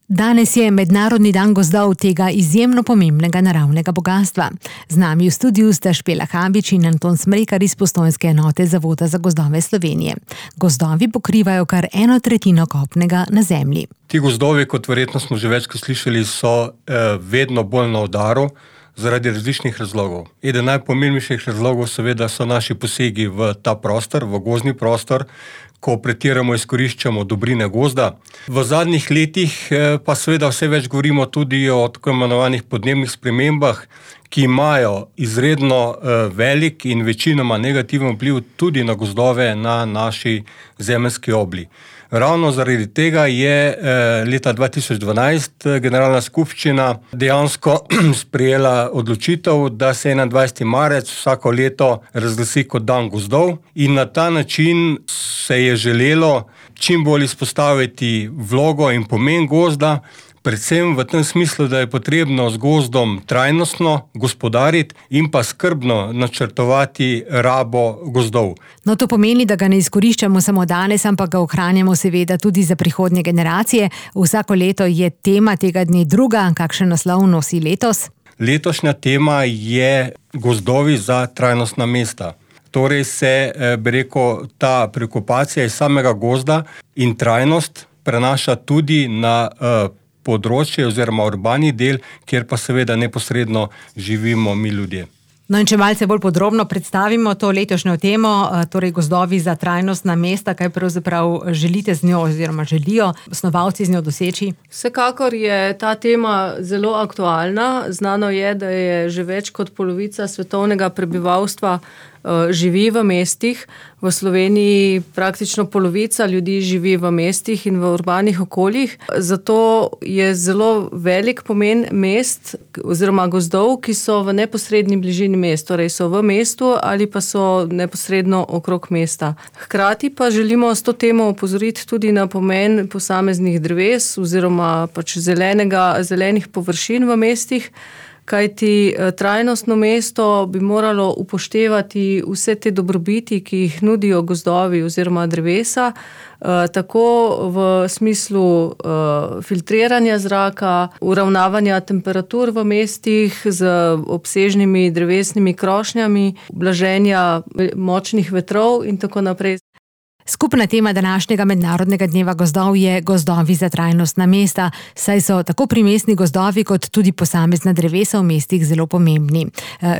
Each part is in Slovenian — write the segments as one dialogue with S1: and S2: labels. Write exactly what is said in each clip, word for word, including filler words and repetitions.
S1: Danes je Mednarodni dan gozdov, tega izjemno pomembnega naravnega bogastva. Z nami v studiu sta Špela Habič in Anton Smrekar iz Postojnske enote Zavoda za gozdove Slovenije. Gozdovi pokrivajo kar eno tretjino kopnega na zemlji.
S2: Ti gozdovi, kot verjetno smo že večkrat slišali, so eh, vedno bolj na udaru zaradi različnih razlogov. Eden najpomembnejših razlogov seveda so naši posegi v ta prostor, v gozdni prostor, ko pretiramo izkoriščamo dobrine gozda. V zadnjih letih pa seveda vse več govorimo tudi o tako imenovanih podnebnih spremembah, ki imajo izredno velik in večinoma negativen vpliv tudi na gozdove na naši zemeljski obli. Ravno zaradi tega je leta dva tisoč dvanajst Generalna skupščina dejansko sprejela odločitev, da se enaindvajseti marec vsako leto razglasi kot dan gozdov in na ta način se je želelo čim bolj izpostaviti vlogo in pomen gozda, predvsem v tem smislu, da je potrebno z gozdom trajnostno gospodariti in pa skrbno načrtovati rabo gozdov.
S1: No, to pomeni, da ga ne izkoriščamo samo danes, ampak ga ohranjamo seveda tudi za prihodnje generacije. Vsako leto je tema tega dne druga. Kakšen naslov nosi letos?
S2: Letošnja tema je gozdovi za trajnostna mesta. Torej se, bi rekel, ta preokupacija iz samega gozda in trajnost prenaša tudi na uh, področje oziroma urbani del, kjer pa seveda neposredno živimo mi ljudje.
S1: No in če malce bolj podrobno predstavimo to letošnjo temo, torej gozdovi za trajnostna mesta, kaj pravzaprav želite z njo oziroma želijo snovalci z njo doseči?
S3: Vsekakor je ta tema zelo aktualna. Znano je, da je že več kot polovica svetovnega prebivalstva živi v mestih. V Sloveniji praktično polovica ljudi živi v mestih in v urbanih okoljih. Zato je zelo velik pomen mest oziroma gozdov, ki so v neposredni bližini mest, torej so v mestu ali pa so neposredno okrog mesta. Hkrati pa želimo s to temo opozoriti tudi na pomen posameznih dreves oziroma pač zelenega, zelenih površin v mestih, kajti trajnostno mesto bi moralo upoštevati vse te dobrobiti, ki jih nudijo gozdovi oziroma drevesa, tako v smislu filtriranja zraka, uravnavanja temperatur v mestih z obsežnimi drevesnimi krošnjami, blaženja močnih vetrov in tako naprej.
S1: Skupna tema današnjega Mednarodnega dneva gozdov je gozdovi za trajnostna mesta, saj so tako primestni gozdovi kot tudi posamezna drevesa v mestih zelo pomembni.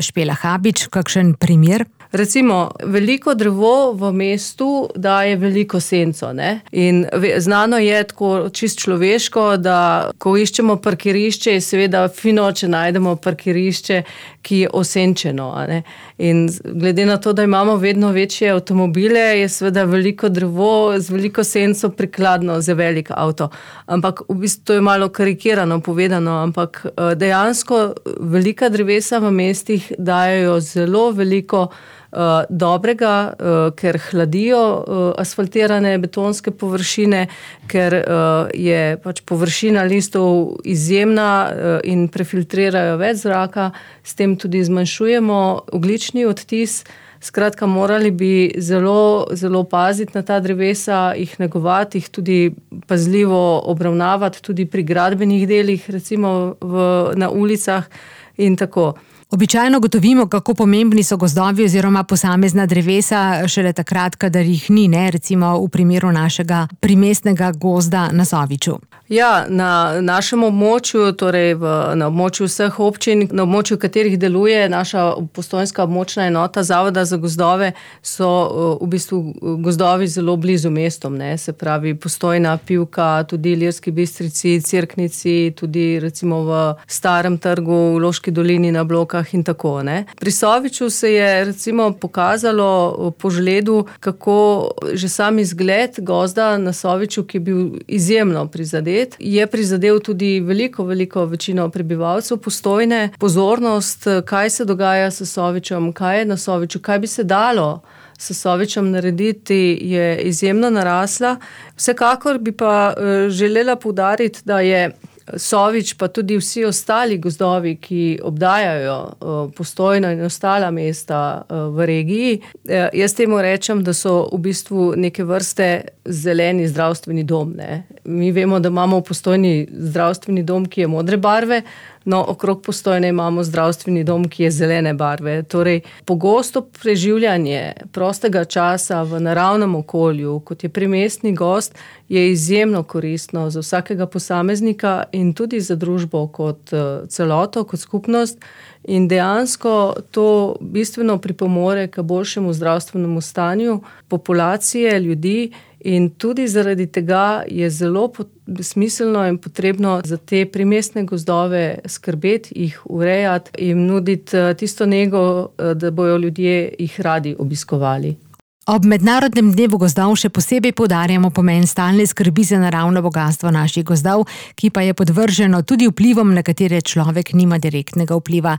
S1: Špela Habič, kakšen primer?
S3: Recimo, veliko drevo v mestu daje veliko senco, ne? In znano je tako čist človeško, da ko iščemo parkirišče, je seveda fino, če najdemo parkirišče, ki je osenčeno, a ne? In glede na to, da imamo vedno večje avtomobile, je seveda veliko drevo z veliko senco prikladno za velik avto. Ampak v bistvu to je malo karikirano povedano, ampak dejansko velika drevesa v mestih dajejo zelo veliko Uh, dobrega, uh, ker hladijo uh, asfaltirane betonske površine, ker uh, je pač površina listov izjemna uh, in prefiltrirajo več zraka, s tem tudi zmanjšujemo ogljični odtis. Skratka, morali bi zelo, zelo paziti na ta drevesa, jih negovati, jih tudi pazljivo obravnavati, tudi pri gradbenih delih, recimo v, na ulicah in tako.
S1: Običajno gotovimo, kako pomembni so gozdovi oziroma posamezna drevesa šele takrat, kadar jih ni, ne? Recimo v primeru našega primestnega gozda na Soviču.
S3: Ja, na našem območju, torej v, na območju vseh občin, na območju katerih deluje naša postojnska območna enota Zavoda za gozdove, so v bistvu gozdovi zelo blizu mestom, ne? Se pravi Postojna, Pivka, tudi Ilirski Bistrici, Cerknici, tudi recimo v Starem trgu, v Loški dolini na Blokah in tako, ne. Pri Soviču se je recimo pokazalo po žledu, kako že sam izgled gozda na Soviču, ki je bil izjemno prizadet, je prizadel tudi veliko, veliko večino prebivalcev Postojne. Pozornost, kaj se dogaja s Sovičem, kaj je na Soviču, kaj bi se dalo s Sovičem narediti, je izjemno narasla. Vsekakor bi pa želela poudariti, da je Sovič, pa tudi vsi ostali gozdovi, ki obdajajo Postojno in ostala mesta v regiji, jaz temu rečem, da so v bistvu neke vrste zeleni zdravstveni dom. Ne? Mi vemo, da imamo v Postojni zdravstveni dom, ki je modre barve, no, okrog Postojne imamo zdravstveni dom, ki je zelene barve. Torej, pogosto preživljanje prostega časa v naravnem okolju, kot je primestni gozd, je izjemno koristno za vsakega posameznika in tudi za družbo kot celoto, kot skupnost. In dejansko to bistveno pripomore k boljšemu zdravstvenemu stanju populacije, ljudi, in tudi zaradi tega je zelo smiselno in potrebno za te primestne gozdove skrbeti, jih urejati in nuditi tisto nego, da bojo ljudje jih radi obiskovali.
S1: Ob Mednarodnem dnevu gozdov še posebej poudarjamo pomen stalne skrbi za naravno bogastvo naših gozdov, ki pa je podvrženo tudi vplivom, na katere človek nima direktnega vpliva.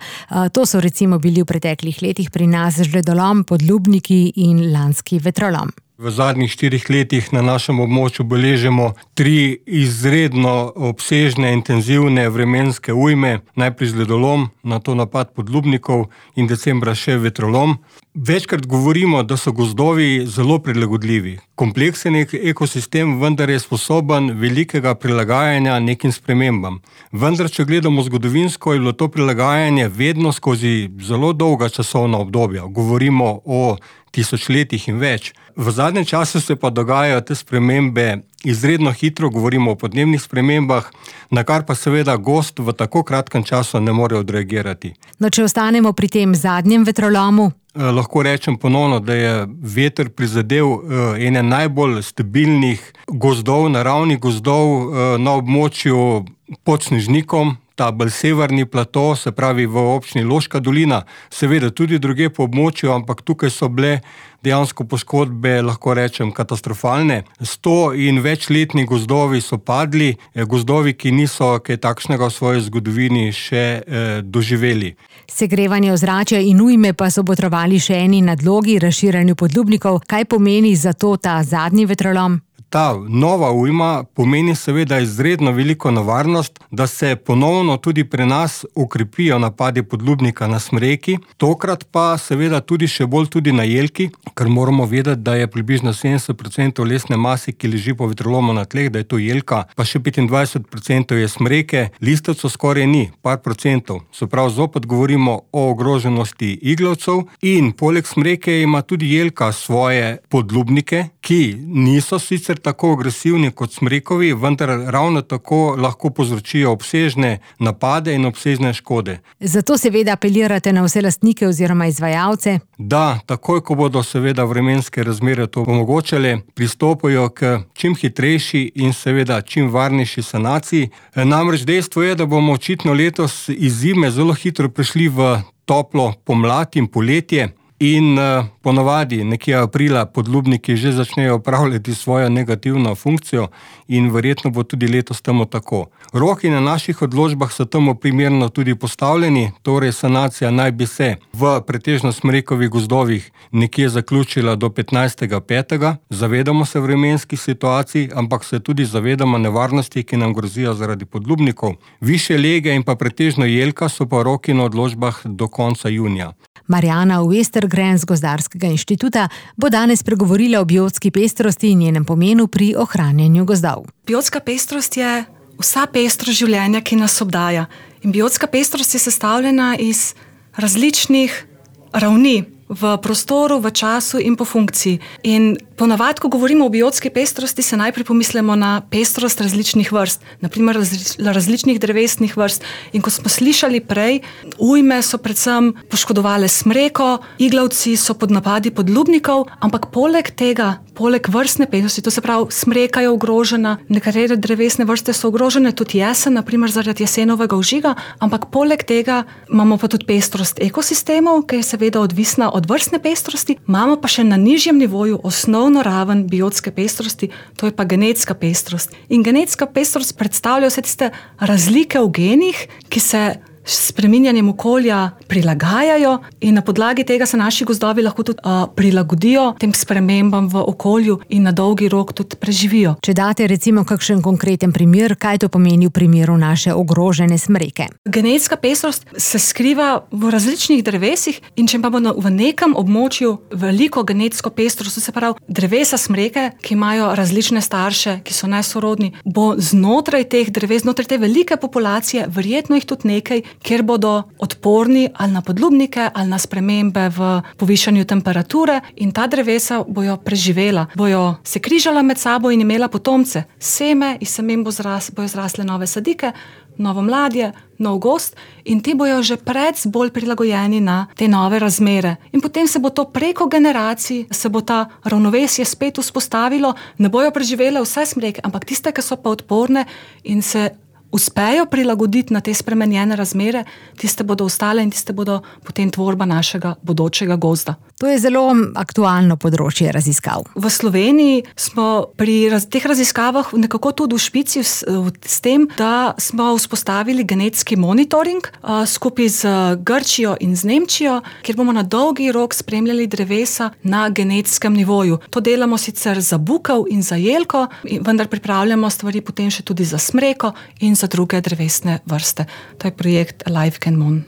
S1: To so recimo bili v preteklih letih pri nas žledolom, podlubniki in lanski vetrolom.
S2: V zadnjih štirih letih na našem območju beležimo tri izredno obsežne, intenzivne vremenske ujme, najprej žledolom, nato napad podlubnikov in decembra še vetrolom. Večkrat govorimo, da so gozdovi zelo prilagodljivi. Kompleksen ekosistem vendar je sposoben velikega prilagajanja nekim spremembam. Vendar, če gledamo zgodovinsko, je bilo to prilagajanje vedno skozi zelo dolga časovna obdobja. Govorimo o tisočletjih in več. V zadnjem času se pa dogajajo te spremembe izredno hitro, govorimo o podnebnih spremembah, na kar pa seveda gozd v tako kratkem času ne more odreagirati.
S1: No, če ostanemo pri tem zadnjem vetrolomu?
S2: Eh, lahko rečem ponovno, da je veter prizadel eh, ene najbolj stabilnih gozdov, naravnih gozdov eh, na območju pod Snežnikom, ta bolj severni plato, se pravi v občini Loška dolina, seveda tudi drugje po območju, ampak tukaj so bile dejansko poškodbe, lahko rečem, katastrofalne. Sto in večletni gozdovi so padli, gozdovi, ki niso kaj takšnega v svoji zgodovini še eh, doživeli.
S1: Segrevanje ozračja in ujme pa so botrovali še eni nadlogi, razširjanju podlubnikov. Kaj pomeni za to ta zadnji vetrolom?
S2: Ta nova ujma pomeni seveda izredno veliko nevarnost, da se ponovno tudi pri nas ukrepijo napadi podlubnika na smreki, tokrat pa seveda tudi še bolj tudi na jelki, ker moramo vedeti, da je približno sedemdeset procentov lesne mase, ki leži po vetrolomu na tleh, da je to jelka, pa še petindvajset procentov je smreke, listavcev skoraj ni, par procentov. Se pravi, zopet govorimo o ogroženosti iglavcev in poleg smreke ima tudi jelka svoje podlubnike, ki niso sicer tako agresivni kot smrekovi, vendar ravno tako lahko povzročijo obsežne napade in obsežne škode.
S1: Zato seveda apelirate na vse lastnike oziroma izvajalce?
S2: Da, takoj, ko bodo seveda vremenske razmere to omogočale, pristopajo k čim hitrejši in seveda čim varnejši sanaciji. Namreč dejstvo je, da bomo očitno letos iz zime zelo hitro prišli v toplo pomlad in poletje. In uh, ponavadi nekje aprila podlubniki že začnejo opravljati svojo negativno funkcijo in verjetno bo tudi letos temu tako. Roki na naših odločbah so temu primerno tudi postavljeni, torej sanacija naj bi se v pretežno smrekovih gozdovih nekje zaključila do petnajstega petega Zavedamo se vremenskih situacij, ampak se tudi zavedamo nevarnosti, ki nam grozijo zaradi podlubnikov. Višje lege in pa pretežno jelka so pa roki na odločbah do konca junija.
S1: Marjana Westergren z Gozdarskega inštituta bo danes pregovorila o biotski pestrosti in njenem pomenu pri ohranjanju gozdov.
S4: Biotska pestrost je vsa pestrost življenja, ki nas obdaja. In biotska pestrost je sestavljena iz različnih ravni v prostoru, v času in po funkciji. In ponavadi, ko govorimo o biotski pestrosti, se najprej pomislimo na pestrost različnih vrst, naprimer različnih drevesnih vrst. In ko smo slišali prej, ujme so predvsem poškodovale smreko, iglavci so pod napadi podlubnikov, ampak poleg tega, poleg vrstne pestrosti, to se pravi, smreka je ogrožena, nekatere drevesne vrste so ogrožene, tudi jesen, naprimer zaradi jesenovega ožiga, ampak poleg tega imamo pa tudi pestrost ekosistemov, ki je seveda odvisna od vrstne pestrosti, imamo pa še na nižjem nivoju osnovno raven biotske pestrosti, to je pa genetska pestrost. In genetska pestrost predstavlja vse tiste razlike v genih, ki se spreminjanjem okolja prilagajajo in na podlagi tega se naši gozdovi lahko tudi uh, prilagodijo tem spremembam v okolju in na dolgi rok tudi preživijo.
S1: Če date recimo kakšen konkreten primer, kaj to pomeni v primeru naše ogrožene smreke?
S4: Genetska pestrost se skriva v različnih drevesih in če pa bo v nekem območju veliko genetsko pestrost, se pravi drevesa smreke, ki imajo različne starše, ki so nesorodni, bo znotraj teh dreves, znotraj te velike populacije, verjetno jih tudi nekaj, kjer bodo odporni ali na podlubnike ali na spremembe v povišanju temperature in ta drevesa bojo preživela, bojo se križala med sabo in imela potomce. Seme, iz semen bo zras, bojo zrasle nove sadike, novo mladje, nov gozd in ti bojo že pred bolj prilagojeni na te nove razmere. In potem se bo to preko generacij, se bo ta ravnovesje spet vzpostavilo, ne bojo preživele vse smreke, ampak tiste, ki so pa odporne in se uspejo prilagoditi na te spremenjene razmere, tiste bodo ostale in tiste bodo potem tvorba našega bodočega gozda.
S1: To je zelo aktualno področje raziskav.
S4: V Sloveniji smo pri raz, teh raziskavah nekako tudi v špici s, s tem, da smo vzpostavili genetski monitoring uh, skupaj z Grčijo in z Nemčijo, kjer bomo na dolgi rok spremljali drevesa na genetskem nivoju. To delamo sicer za bukev in za jelko, vendar pripravljamo stvari potem še tudi za smreko in za druge drevesne vrste. To je projekt Alive Can Mon.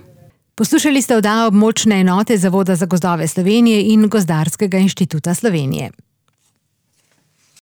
S1: Poslušali ste oddajo območne enote Zavoda za gozdove Slovenije in Gozdarskega inštituta Slovenije.